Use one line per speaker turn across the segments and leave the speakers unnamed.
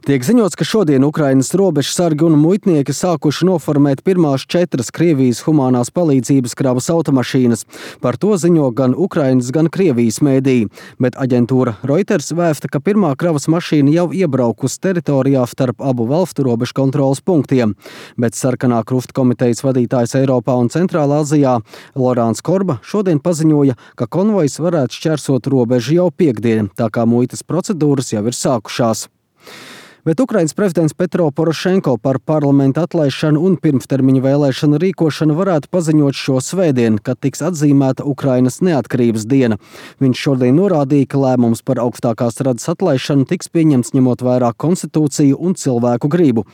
Tiek ziņots, ka šodien Ukrainas robežsargi un muitnieki sākuši noformēt pirmās 4 Krievijas humanās palīdzības kravas automašīnas. Par to ziņo gan Ukrainas, gan Krievijas mēdīji, bet aģentūra Reuters vēsta, ka pirmā kravas mašīna jau iebraukusi teritorijā starp abu valstu robežu kontroles punktiem. Bet Sarkanā krusta komitejas vadītājs Eiropā un Centrālā Azijā Lorāns Korba šodien paziņoja, ka konvojs varētu šķērsot robežu jau piektdien, tā kā muitas procedūras jau ir sākušās. Bet Ukrainas prezidents Petro Porošenko par parlamenta atlaišanu un pirmstermiņa vēlēšanu rīkošanu varētu paziņot šo svētdienu, kad tiks atzīmēta Ukrainas neatkarības diena. Viņš šodien norādīja, ka lēmums par augstākās radas atlaišanu tiks pieņemts ņemot vērā konstitūciju un cilvēku gribu.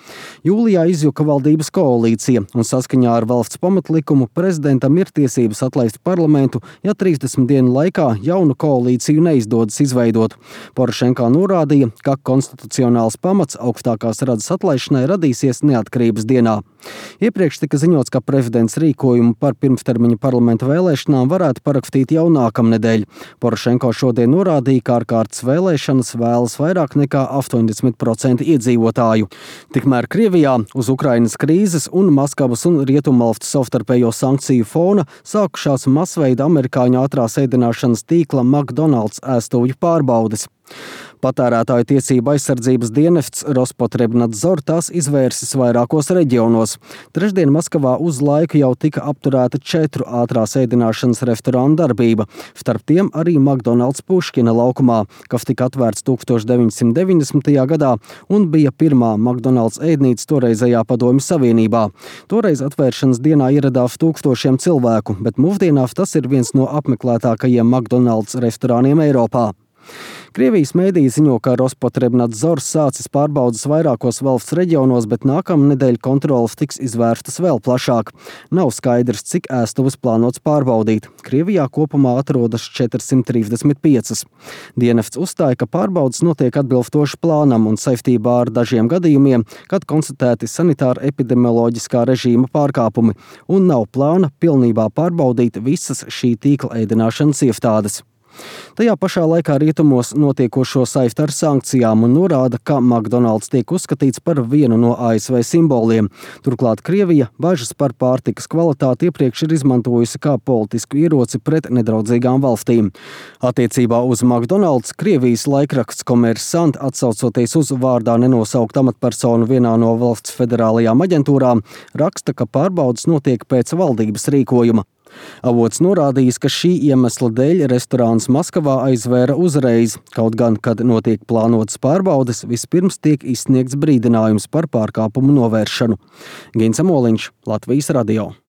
Jūlijā izjuka valdības koalīcija, un saskaņā ar valsts pamatlikumu prezidentam ir tiesības atlaist parlamentu, ja 30 dienu laikā jaunu koalīciju neizdodas izveidot. Porošenko norādīja, ka konstitucionāls pamats augstākās radas atlaišanai radīsies neatkarības dienā. Iepriekš tika ziņots, ka prezidents rīkojumu par pirmstermiņa parlamenta vēlēšanām varētu parakstīt jau nākamnedēļ. Porošenko šodien norādīja, ka ārkārtas vēlēšanas vēlas vairāk nekā 80% iedzīvotāju. Tikmēr Krievijā uz Ukrainas krīzes un Maskavas un Rietumvalstu savstarpējo sankciju fona sākušās masveida amerikāņu ātrās ēdināšanas tīkla McDonald's ēstuvju pārbaudes. Patērētāju tiesību aizsardzības dienests Rospotrebnadzor tās izvērsis vairākos reģionos. Trešdien Maskavā uz laiku jau tika apturēta 4 ātrās ēdināšanas restorānu darbība, starp tiem arī McDonald's Puškina laukumā, kas tika atvērts 1990. gadā un bija pirmā McDonald's ēdnīca toreizējā Padomju Savienībā. Toreiz atvēršanas dienā ieradās tūkstošiem cilvēku, bet mūsdienās tas ir viens no apmeklētākajiem McDonald's restorāniem Eiropā. Krievijas mēdīji ziņo, ka Rospotrebnadzors sācis pārbaudas vairākos valsts reģionos, bet nākamnedēļ kontroles tiks izvērstas vēl plašāk. Nav skaidrs, cik ēstuves plānots pārbaudīt. Krievijā kopumā atrodas 435. Dienests uzstāja, ka pārbaudas notiek atbilstoši plānam un saistībā ar dažiem gadījumiem, kad konstatēti sanitāra epidemioloģiskā režīma pārkāpumi, un nav plāna pilnībā pārbaudīt visas šī tīkla ēdināšanas iestādes. Tajā pašā laikā rietumos notiekošo saista ar sankcijām un norāda, ka McDonald's tiek uzskatīts par vienu no ASV simboliem. Turklāt Krievija bažas par pārtikas kvalitāti iepriekš ir izmantojusi kā politisku ieroci pret nedraudzīgām valstīm. Attiecībā uz McDonald's Krievijas laikraksts Kommersant, atsaucoties uz vārdā nenosaukt amatpersonu vienā no valsts federālajām aģentūrām, raksta, ka pārbaudas notiek pēc valdības rīkojuma. Avots norādījis, ka šī iemesla dēļ restorāns Maskavā aizvēra uzreiz, kaut gan, kad notiek plānotas pārbaudes, vispirms tiek izsniegts brīdinājums par pārkāpumu novēršanu. Gins Amoliņš, Latvijas radio.